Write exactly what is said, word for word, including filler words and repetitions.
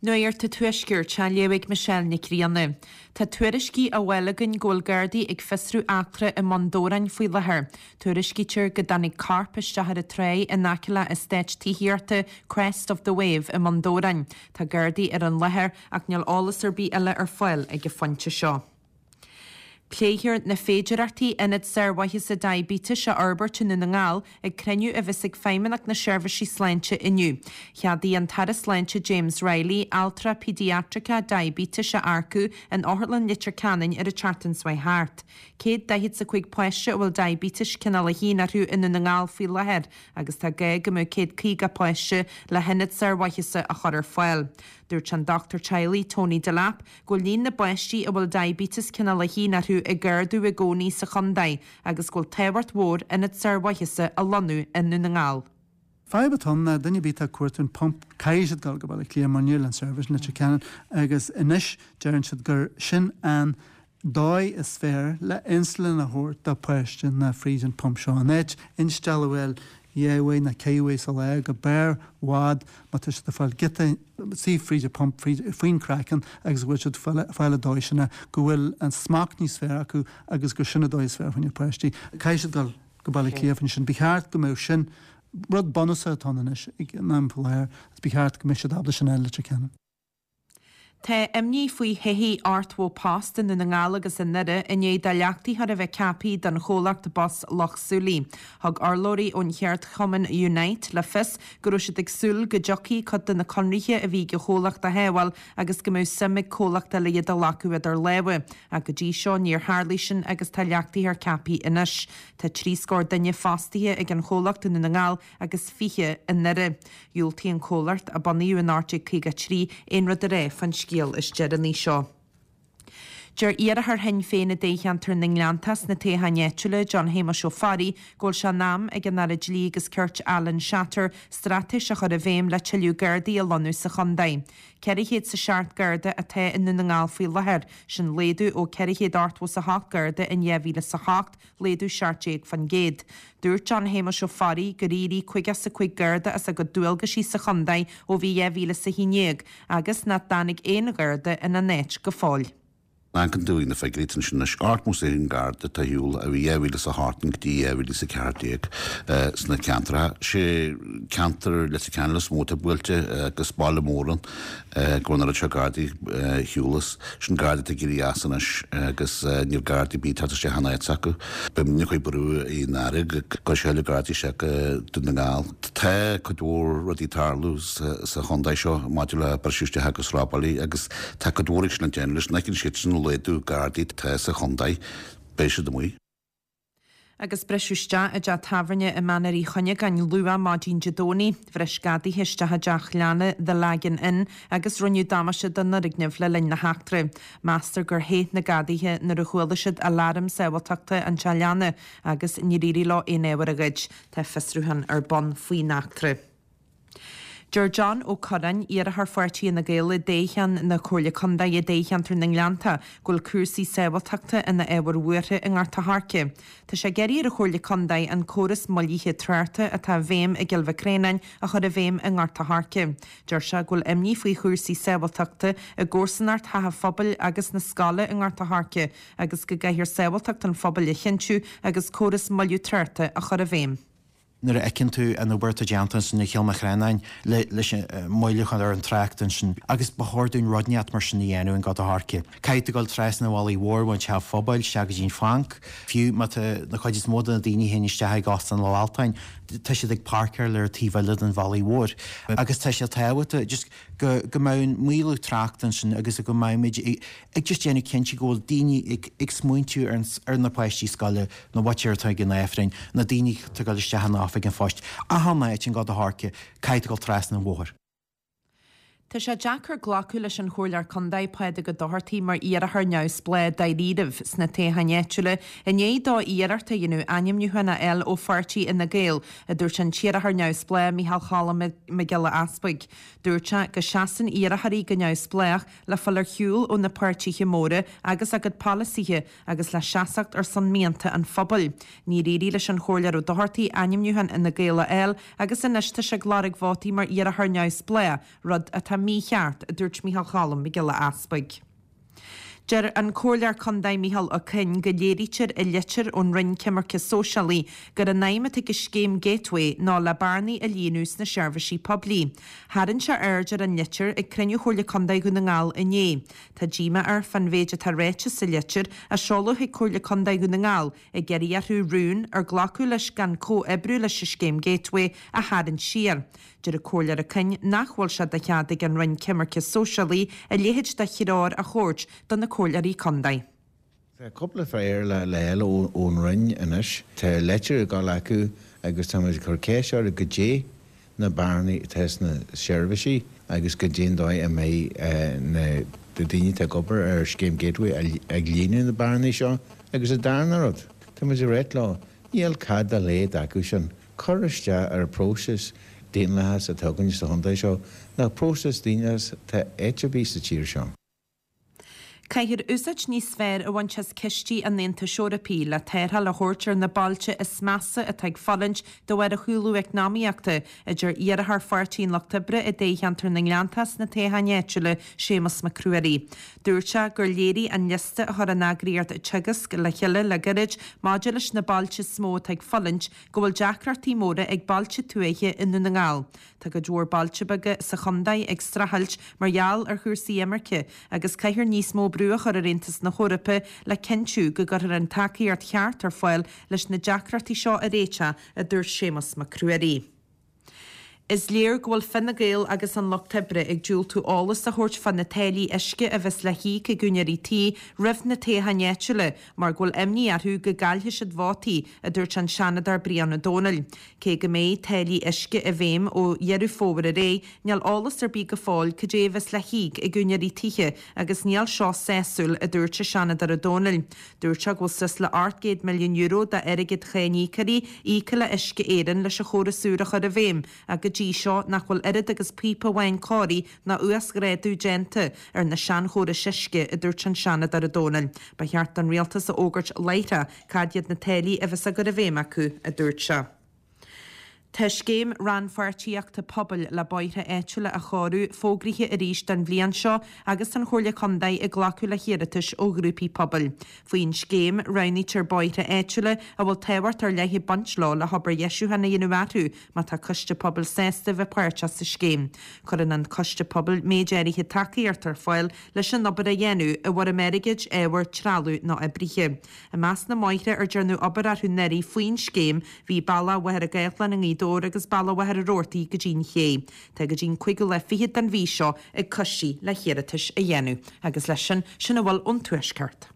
Nuacht an Tuaiscirt á léamh ag Michelle Nic Grianna. Tá tuairiscí á bhfáil againn go bhfuil Gardaí ag fiosrú eachtra i mBun Dobhráin faoi láthair. Tuairiscítear go dtáinig corp isteach ar an tráigh in aice le eastát tithíochta Crest of the Wave i mBun Dobhráin. Tá Gardaí ar an láthair ach níl eolas ar bith eile ar fáil ag an phointe seo. Pléifear na féidearthachtaí ionad sármhaitheasa diaibéitis a fhorbairt i nDún na nGall ag cruinniú a bheas ag Feidhmeannacht na Seirbhísí Sláinte inniu. Cheadaigh an tAire Sláinte James Riley altra pediatric diaibéitis a earcú in Otharlann Leitir Ceanainn ar an tseachtain seo thart. Céad daichead is a cúig páiste a bhfuil diaibéitis cineál a haon orthu i nDún na nGall faoi láthair agus tá gá go mbeadh céad caoga páiste le hionad sármhaitheasa a chur ar fáil. Dúirt an dochtúir teaghlaigh Tony Delap go bhfuil líon na bpáistí a bhfuil diaibéiteas cineál a haon orthu ag ardú i gcónaí sa chontae agus go bhfuil tábhacht mhór ionad sármhaitheasa a lonnú i nDún na nGall. Fadhb atá ann ná duine ar bith atá ag cuartú an pump caithfidh siad dul go Baile Átha Cliath mar níl an service in Leitir Ceanainn agus anois deireann siad gur sin an dóigh is fearr le insulin a thabhairt do pháiste ná fríd an pump seo. An áit instealladh a fháil dhá uair nó ceithre uair sa lá go b'fhearr i bhfad má tá siad ag fáil giota suí fríd an pump faoin craiceann agus go bhfuil siad fáil an dóigh sin go bhfuil an smacht níos fearr acu agus gur sin an dóigh is fearr faoin páistí. Caithfidh siad dul go Baile Átha Cliath sin. Ba cheart go mbeadh sin rud bunúsach atá anois ag an am faoi láthair agus ba cheart go mbeadh siad ábalta sin a fháil i Leitir Ceanainn. Tá imní faoi thodhchaí ochtó post i nDún na nGall agus i nDoire i ndiaidh do leachtaitheoir a bheith ceaptha don chomhlacht bus Loch Súilí. Thug urlabhraí ón cheardchumann Unite le fios go raibh siad ag súil go dtiocfaidh cuid de na conarthaí a bhí ag an chomhlacht a shábháil agus go mbeadh suim ag comhlacht eile iad a ghlacadh idir lámha. Ach go dtí seo níor tharlaigh sin agus tá leachtaitheoir ceaptha anois. Tá trí scór duine fostaithe ag an chomhlacht i nDún na nGall agus fiche i nDoire. Dhiúltaigh an comhlacht a bunaíodh in ocht déag caoga trí aon rud a rá faoin scéal is deireanaí seo. Deir iarrthóir Shinn Féin i dtoghcheantar na nGleanntach sna toghcháin áitiúla John Shéamuis Ó Fearraigh go bhfuil sé in am ag an Aire Dlí agus Cirt Alan Shatter straitéis a chur i bhfeidhm le tuilleadh Gardaí a lonnú sa chontae. Ceithre chéad is a seacht Garda atá i nDún na nGall faoi láthair, sin laghdú ó ceithre chéad ochtó is a hocht Garda in dhá mhíle is a hocht, laghdú seacht déag faoin gcéad. Dúirt John Shéamuis Ó Fearraigh gur éirigh caoga is a cúig Garda as a gcuid dualgaisí sa chontae ó bhí dhá mhíle is a haon déag, agus nach dtáinig aon Gharda ina n-áit go fóill. Amharcann tú ar na figiúirí sin anois ochtó is a haon Garda atá ar shiúl ó bhí dhá mhíle is a hocht go dtí dhá mhíle is a ceathair déag sna ceantracha. Sé ceantar Leitir Ceanainn is mó atá buailte agus Baile Mhúirne go bhfuil an oiread seo Gardaí ar shiúl as. Sin Gardaí atá ag éirí as anois agus níl Gardaí ar bith ag teacht isteach in áit s'acu. Beidh muidne ag cur brú ar an Aire go gcuirfidh sé tuilleadh Gardaí isteach go Dún na nGall. Tá cuid mhór rudaí ag tarlú sa chontae seo maidir le briseadh isteach agus robálaí agus tá cuid mhór ag sin le déanamh leis. An bhfeiceann siad sin laghdú Gardaí atá sa chontae, beidh siad amuigh. Agus briseadh isteach i dteach tábhairne i Mainéar Uí Chuinneagáin luath maidin Dé Domhnaigh. Bhris gadaithe isteach i dteach leanna The Lagan Inn agus rinneadh damáiste don fhoirgneamh le linn na heachtra. Meastar gur theith na gadaithe nuair a chuala siad aláram sábháilteachta an teach leanna agus níor éirigh leo aon ábhar a ghoid. Tá fiosrúchán ar bun faoin eachtra. Deir John Ó Curráin, iarrthóir pháirtí Fhine Gael i dtoghchán na Comhairle Contae i dtoghcheantar na nGleannta, go bhfuil cúrsaí sábháilteachta ina ábhar buartha i nGort a' Choirce. Tá sé ag iarraidh ar an Chomhairle Contae an córas moillithe tráchta atá i bhfeidhm i gCill Mhic Réanáin a chur i bhfeidhm i nGort a' Choirce. Deir sé go bhfuil imní faoi chúrsaí sábháilteachta i gcomharsanacht Theach an Phobail agus na scoile i nGort a' Choirce agus go gcaithfear sábháilteacht an phobail a chinntiú agus córas moilliú tráchta a chur i bhfeidhm. Nuair a fheiceann tú an obair atá déanta ansin i Chill Mhic Réanáin leis an moilliúchán ar an trácht ansin agus ba chóir dúinn rud inteacht mar sin a dhéanamh in Gort a' Choirce. Caithfidh tú dul trasna an Bhealaigh Mhóir ón Teach Phobail isteach go dtí an Phanc, fiú má tá na cuid is mó de na daoine a théann isteach ag Óstán an Altáin, tá siad ag páirceáil ar an taobh eile den Bhealaigh Mhór. Agus tá sé tábhachtach just go go mbeadh an maolú tráchta ansin agus go mbeimid ag just déanamh cinnte go bhfuil daoine ag ag smaointiú ar ar na páistí scoile, na mhuintir atá ag an Aifreann, na daoine atá ag dul isteach in oifig an phoist, achan áit in Gort a' Choirce, caithfidh tú dul trasna an bhóthair. Tá sé deacair glacadh leis an Chomhairleoir Contae Pádraig Ó Dochartaigh mar iarrthóir neamhspleách dáiríribh sna toghcháin áitiúla i ndiaidh dó iarracht a dhéanamh ainmniúchán a fháil ó pháirtí Fhine Gael, a dúirt an t-iarrthóir neamhspleách Micheál Cholm Mac Giolla Easpaig. Dúirt sé go seasann iarrthóirí go neamhspleách le fáil ar shiúl ó na páirtithe móra agus a gcuid polasaithe agus le seasacht ar son mianta an phobail. Níor éirigh leis an Chomhairleoir Ó Dochartaigh ainmniúchán Fhine Gael a fháil agus anois tá sé ag lorg vótaí mar iarrthóir neamhspleách, rud atá atá mícheart, a dúirt Micheál Cholm Mac Giolla Easpaig. Deir an Comhairleoir Contae Micheál Ó Coinn go léirítear i litir ón Roinn Coimirce Sóisialaí gur an aidhm atá ag scéim Gateway ná le bearnaí a líonadh sna seirbhísí poiblí. Tharraing sé aird ar an litir ag cruinniú Chomhairle Contae Dhún na nGall inné. Tá díomá air fán mhéid atá ráite sa litir a seoladh chuig Comhairle Contae Dhún na nGall ag iarraidh orthu rún ar glacadh leis gan comhoibriú leis an scéim Gateway a tharraingt siar. Deir an Comhairleoir Ó Coinn nach bhfuil sé de chead ag an Roinn Coimirce Sóisialaí a leithéid de threoir a thabhairt do na comhairleoirí contae. Tá cúpla fear le le ón Roinn anois. Tá leitir ag dul acu agus tá muid ag cur ceist orthu goidé na bearnaí atá sna seirbhísí agus goidé an dóigh a mbeidh na daoine atá ag obair ar scéim Gateway ag líonadh na bearnaí seo. Agus an darna rud, tá muid ag ráit leo, níl cead dá laghad acu sin cur isteach ar an próiseas daonlathas atá againn sa chontae seo, nach próiseas daonlathas atá áit ar bith sa tír seo. Caithfear úsáid níos fearr a bhaint as cistí an Aontais Eorpaigh le tarrtháil a thabhairt ar na bailte is measa atá ag fulaingt de bharr an chúlú eacnamaíochta, a deir iarrthóir Pháirtí an Lucht Oibre i dtoghcheantar na nGleanntach sna toghcháin áitiúla, Séamus Mac Ruairí. Dúirt sé gur léirigh an liosta a chuir an eagraíocht Teagasc le chéile le gairid maidir leis na bailte is mó atá ag fulaingt go bhfuil deacrachtaí móra ag bailte tuaithe i nDún na nGall. Tá cuid mhór bailte beaga sa chontae ag streachailt mar gheall ar chúrsaí imirce agus caithfear níos mó brú a chur ar Aontas na hEorpa le cinntiú go gcuirfear an tacaíocht cheart ar fáil leis na deacrachtaí seo a réiteach, a dúirt Séamus Mac Ruairí. Is léir go bhfuil Fine Gael agus an Lucht Oibre ag diúltú eolas a thabhairt fá na táillí uisce a bheas le híoc ag úinéirí tí roimh na toghcháin áitiúla mar go bhfuil imní orthu go gcaillfidh siad vótaí, a dúirt an Seanadóir Brian Ó Domhnaill. Cé go mbeidh táillí uisce i bhfeidhm ó Dheireadh Fómhair ar aghaidh, níl eolas ar bith go fóill cad é a bheas le híoc ag úinéirí tithe agus níl seo sásúil, a dúirt an Seanadóir Ó Domhnaill. Dúirt sé go bhfuil suas le ocht gcéad milliún euro d'airgead cháiníocóirí íoctha le Uisce Éireann leis an chóras úr a chur i bhfeidhm ach go dtí seo nach bhfuil oiread agus píopa amháin cóirithe ná uasghrádú déanta ar na seanchórais uisce, a dúirt an Seanadóir Ó Domhnaill. Ba cheart don rialtas a fhógairt láithreach cad iad na táillí a bheas á gcur i bhfeidhm acu, a dúirt sé. Tá scéim rannpháirtíochta pobail le bóithre áitiúla a chóiriú fógraithe arís don bhliain seo agus an Chomhairle Contae ag glacadh le hiarratais ó ghrúpaí pobail. Faoin scéim, roghnaítear bóithre áitiúla a bhfuil tábhacht ar leith ag baint leo le hobair dheisiúcháin a dhéanamh orthu má tá coiste pobail sásta bheith páirteach sa scéim. Cuireann an coiste pobail méid áirithe tacaíocht ar fáil leis an obair a dhéanamh i bhfoirm airgid, ábhair, trealamh nó oibrithe. I measc na mbóithre ar dearnadh obair orthu anuraidh faoin scéim bhí bealach Mhachaire Gathlán i nGaoth Dobhair agus bealach Mhachaire Rabhartaigh go dtí'n Ché. Tá go dtí'n cúigiú lá fichead den mhí seo ag coistí le hiarratais a dhéanamh. Agus leis sin, sin a bhfuil ón Tuaisceart.